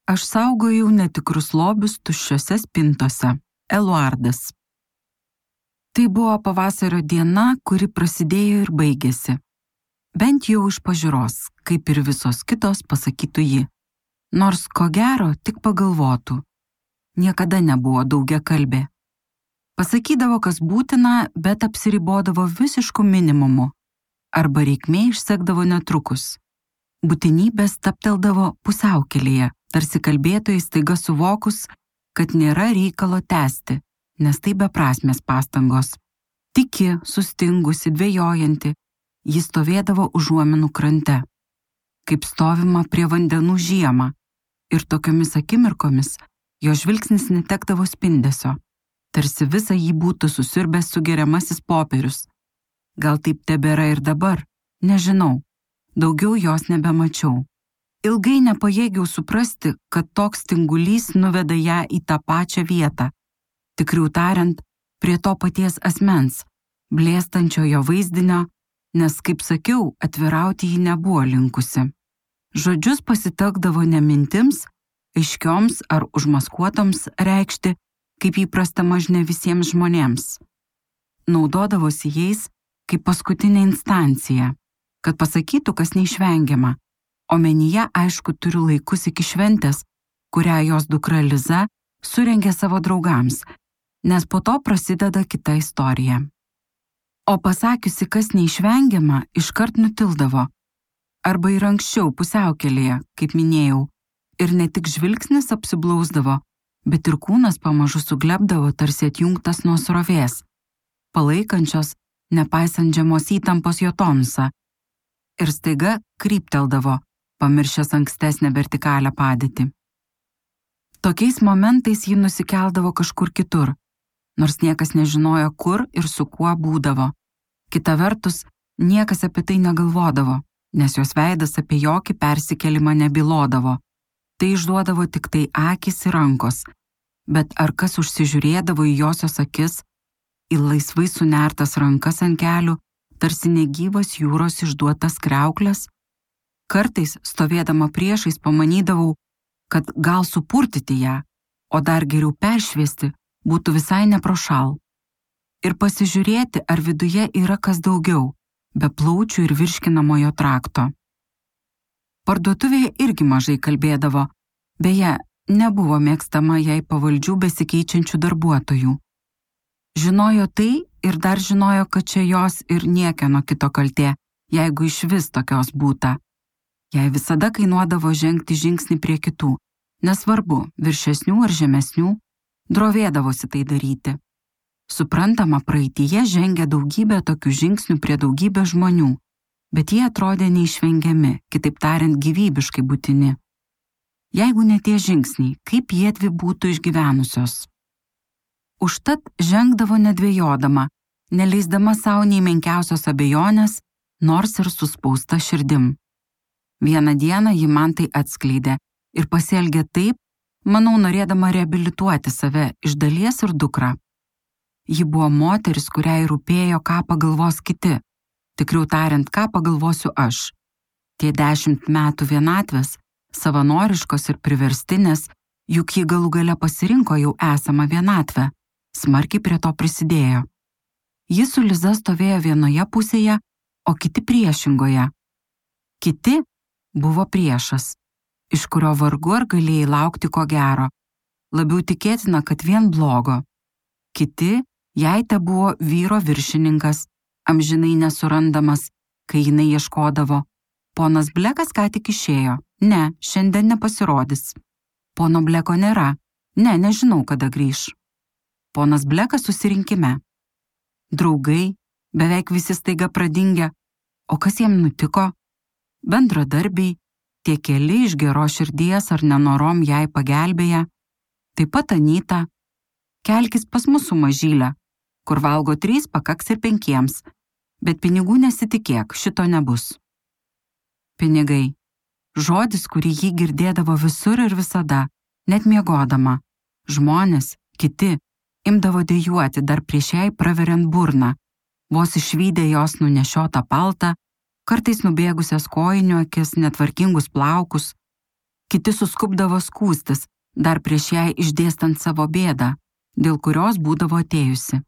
Aš saugojau netikrus lobius tuščiose spintose. Eluardas. Tai buvo pavasario diena, kuri prasidėjo ir baigėsi. Bent jau iš pažiūros, kaip ir visos kitos, pasakytų ji. Nors ko gero tik pagalvotų. Niekada nebuvo daugiakalbė. Pasakydavo, kas būtina, bet apsiribodavo visišku minimumu. Arba reikmė išsekdavo netrukus. Būtinybė stapteldavo pusiaukelėje, tarsi kalbėtojai staiga suvokus, kad nėra reikalo tęsti, nes tai beprasmės pastangos. Tiki, sustingusi, dvejojanti, ji stovėdavo užuominų krante. Kaip stovima prie vandenų žiemą, ir tokiomis akimirkomis jo žvilgsnis netekdavo spindesio, tarsi visą jį būtų susiurbęs sugeriamasis popierius. Gal taip tebėra ir dabar, nežinau, daugiau jos nebemačiau. Ilgai nepajėgiau suprasti, kad toks tingulys nuveda ją į tą pačią vietą, tikriau tariant, prie to paties asmens, blėstančio jo vaizdinio, nes, kaip sakiau, atvirauti ji nebuvo linkusi. Žodžius pasitelkdavo ne mintims, aiškioms ar užmaskuotoms reikšti, kaip įprasta mažne visiems žmonėms. Naudodavosi jais kaip paskutinė instancija, kad pasakytų, kas neišvengiama. Omenyje, aišku, turiu laikus iki šventės, kurią jos dukra Liza surengė savo draugams, nes po to prasideda kita istorija. O pasakiusi, kas neišvengiama, iškart nutildavo. Arba ir anksčiau pusiaukelėje, kaip minėjau, ir ne tik žvilgsnis apsiblausdavo, bet ir kūnas pamažu suglebdavo tarsi atjungtas nuo srovės, palaikančios, nepaisant žemos įtampos jo tonusą, ir staiga krypteldavo, pamiršęs ankstesnę vertikalią padėtį. Tokiais momentais ji nusikeldavo kažkur kitur, nors niekas nežinojo, kur ir su kuo būdavo. Kita vertus, niekas apie tai negalvodavo, nes jos veidas apie jokį persikelimą nebylodavo. Tai išduodavo tik tai akys ir rankos, bet ar kas užsižiūrėdavo į josios akis, į laisvai sunertas rankas ant kelių, tarsi negyvas jūros išduotas kriauklės? Kartais, stovėdama priešais, pamanydavau, kad gal supurtyti ją, o dar geriau peršviesti, būtų visai neprošal. Ir pasižiūrėti, ar viduje yra kas daugiau, be plaučių ir virškinamojo trakto. Parduotuvėje irgi mažai kalbėdavo, beje, nebuvo mėgstama jai pavaldžių besikeičiančių darbuotojų. Žinojo tai ir dar žinojo, kad čia jos ir niekieno kito kaltė, jeigu išvis tokios būta. Jai visada kainuodavo žengti žingsnį prie kitų, nesvarbu, viršesnių ar žemesnių, drovėdavosi tai daryti. Suprantama, praeityje žengė daugybę tokių žingsnių prie daugybę žmonių, bet jie atrodė neišvengiami, kitaip tariant, gyvybiškai būtini. Jeigu ne tie žingsniai, kaip jiedvi būtų išgyvenusios? Užtat žengdavo nedvejodama, neleisdama savo nei menkiausios abejonės, nors ir suspausta širdim. Vieną dieną ji man tai atskleidė ir pasielgė taip, manau, norėdama reabilituoti save iš dalies ir dukrą. Ji buvo moteris, kuriai rūpėjo, ką pagalvos kiti, tikriau tariant, ką pagalvosiu aš. Tie 10 metų vienatvės, savanoriškos ir priverstinės, juk ji galų gale pasirinko jau esamą vienatvę, smarkiai prie to prisidėjo. Ji su Liza stovėjo vienoje pusėje, o kiti priešingoje. Kiti buvo priešas, iš kurio vargu ar galėjai laukti ko gero, labiau tikėtina, kad vien blogo. Kiti, jai te buvo vyro viršininkas, amžinai nesurandamas, kai jinai ieškodavo. Ponas Blekas ką tik išėjo, ne, šiandien nepasirodys. Pono Bleko nėra, ne, nežinau, kada grįš. Ponas Blekas susirinkime. Draugai, beveik visi staiga pradingę, o kas jiem nutiko? Bendradarbiai, tie keli iš geros širdies ar nenorom jai pagelbėję, taip pat Anyta, kelkis pas mus su Mažyle, kur valgo 3, pakaks ir 5, bet pinigų nesitikėk, šito nebus. Pinigai. Žodis, kurį ji girdėdavo visur ir visada, net miegodama. Žmonės, kiti, imdavo dejuoti dar prieš jai praveriant burną, vos išvydę jos nunešiotą paltą, kartais nubėgusias kojinių akis, netvarkingus plaukus. Kiti suskubdavo skųstis, dar prieš jai išdėstant savo bėdą, dėl kurios būdavo atėjusi.